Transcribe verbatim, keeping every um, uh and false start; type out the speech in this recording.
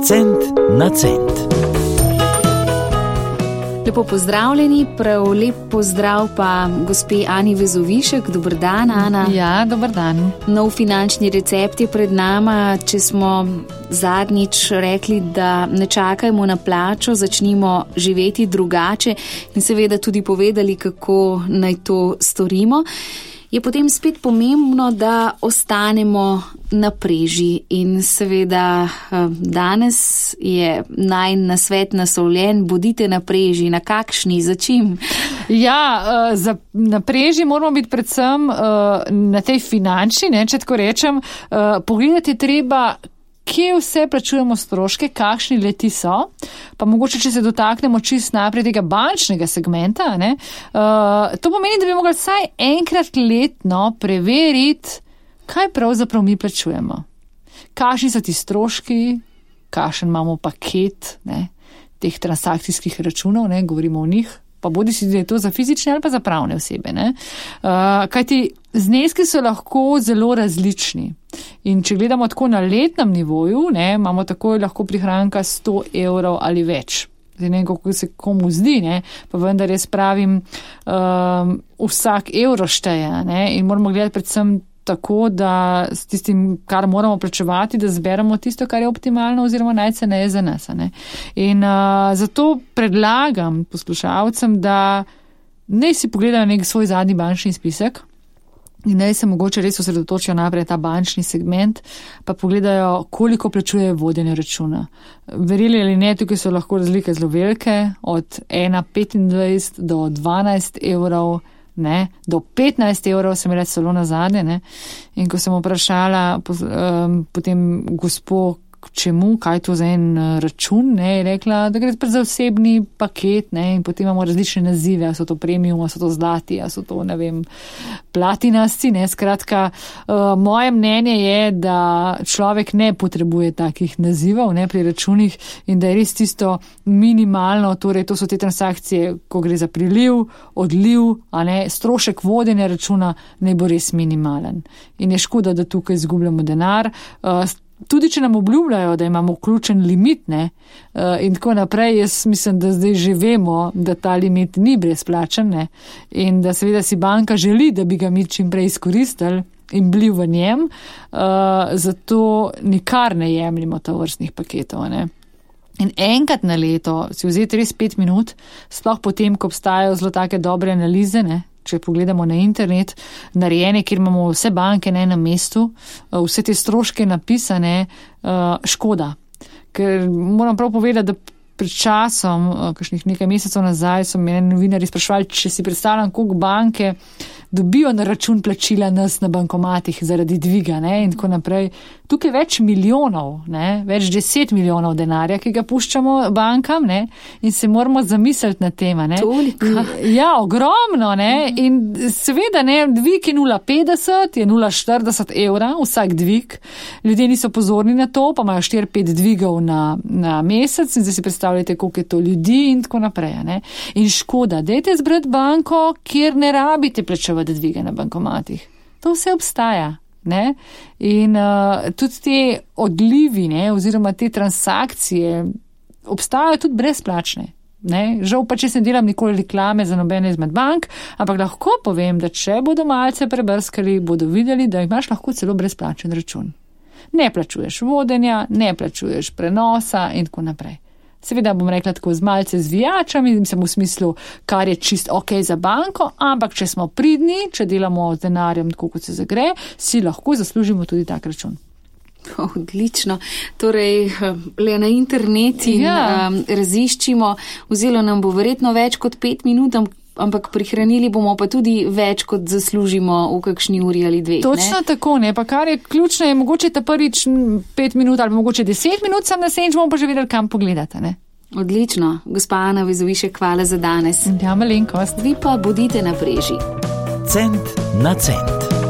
Cent na cent. Lepo pozdravljeni, prav lep pozdrav pa gospe Ani Vezovišek. Dober dan, Ana. Ja, dober dan. Nov finančni recept je pred nama. Če smo zadnjič rekli, da ne čakajmo na plačo, začnimo živeti drugače in seveda tudi povedali, kako naj to storimo, je potem spet pomembno, da ostanemo na preži. In seveda danes je najin nasvet naslovljen: bodite na preži. Na kakšni, za čim? Ja, za, na preži moramo biti predvsem na tej finančni, ne, če tako rečem. Pogledati treba, kje vse plačujemo stroške, kakšni leti so, pa mogoče, če se dotaknemo čist naprej tega bančnega segmenta, ne, uh, to pomeni, da bi mogli vsaj enkrat letno preveriti, kaj pravzaprav mi plačujemo. Kakšni so ti stroški, kakšen imamo paket, ne, teh transakcijskih računov, ne, govorimo o njih, pa bodi si, da je to za fizične ali pa za pravne osebe. Ne. Uh, kajti zneski so lahko zelo različni. In če gledamo tako na letnem nivoju, ne, imamo takoj lahko prihranka sto evrov ali več. Zdaj ne vem, kako se komu zdi, ne, pa vendar jaz pravim, um, vsak evro šteje, ne, in moramo gledati predvsem tako, da s tistim, kar moramo plačevati, da zberemo tisto, kar je optimalno oziroma najceneje za nas. Ne. In uh, zato predlagam poslušalcem, da naj si pogledajo nek svoj zadnji bančni spisek in naj se mogoče res osredotočijo naprej ta bančni segment, pa pogledajo, koliko plačuje vodenje računa. Verjeli ali ne, tukaj so lahko razlike zelo velike, od ena petindvajset do dvanajst evrov, ne, do petnajst evrov, sem reč celo nazadnje, ne. In ko sem vprašala um, potem gospo, čemu, kaj to za en račun, ne, je rekla, da gre za osebni paket, ne, in potem imamo različne nazive, a so to premium, a so to zlati, a so to, ne vem, platinasti, ne, skratka, uh, moje mnenje je, da človek ne potrebuje takih nazivov, ne, pri računih in da je res tisto minimalno, torej to so te transakcije, ko gre za priliv, odliv, a ne, strošek vodenja računa ne bo res minimalen. In je škoda, da tukaj izgubljamo denar. Uh, Tudi, če nam obljubljajo, da imamo vključen limit, ne, in tako naprej, jaz mislim, da zdaj že vemo, da ta limit ni brezplačen, ne, in da seveda si banka želi, da bi ga mi čim prej izkoristili in bili v njem, uh, zato nikar ne jemljimo tovrstnih paketov, ne. In enkrat na leto si vzeti res pet minut, sploh potem, ko obstajajo zelo take dobre analize, ne, če pogledamo na internet, narejene, kjer imamo vse banke na enem mestu, vse te stroške napisane, škoda. Ker moram prav povedati, da pred časom, kakšnih nekaj mesecev nazaj, so me novinarji sprašvali, če si predstavljam, koliko banke dobijo na račun plačila nas na bankomatih zaradi dviga, ne, in tako naprej. Tukaj več milijonov, ne, več deset milijonov denarja, ki ga puščamo bankam, ne, in se moramo zamisliti na tema, ne. Toliko. Ja, ogromno, ne, in seveda, ne, dvig je nula petdeset, je nula štirideset evra, vsak dvig. Ljudje niso pozorni na to, pa imajo štiri pet dvigov na, na mesec in zdaj si predstavljate, koliko je to ljudi in tako naprej, ne. In škoda, dajte zbrati banko, kjer ne rabite plačevati dvige na bankomatih. To vse obstaja. Ne? In uh, tudi te odlivi, ne, oziroma te transakcije obstajajo tudi brezplačne. Ne? Žal pa, če se ne delam nikoli reklame za nobene izmed bank, ampak lahko povem, da če bodo malce prebrskali, bodo videli, da imaš lahko celo brezplačen račun. Ne plačuješ vodenja, ne plačuješ prenosa in tako naprej. Seveda bom rekla tako z malce zvijačami, mislim v smislu, kar je čist ok za banko, ampak če smo pridni, če delamo z denarjem tako, kot se zagre, si lahko zaslužimo tudi tak račun. Odlično. Torej, le na internet in ja. um, raziščimo, vzelo nam bo verjetno več kot pet minut, ampak prihranili bomo pa tudi več, kot zaslužimo v kakšni uri ali dveh. Točno ne? tako, ne, pa kar je ključno, je mogoče ta prvič pet minut ali mogoče deset minut sam na senč, bomo pa že vedeli, kam pogledate, ne. Odlično. Gospa Ana Vezovišek, hvala za danes. Ja, malenkost. Vi pa bodite na preži. Cent na cent.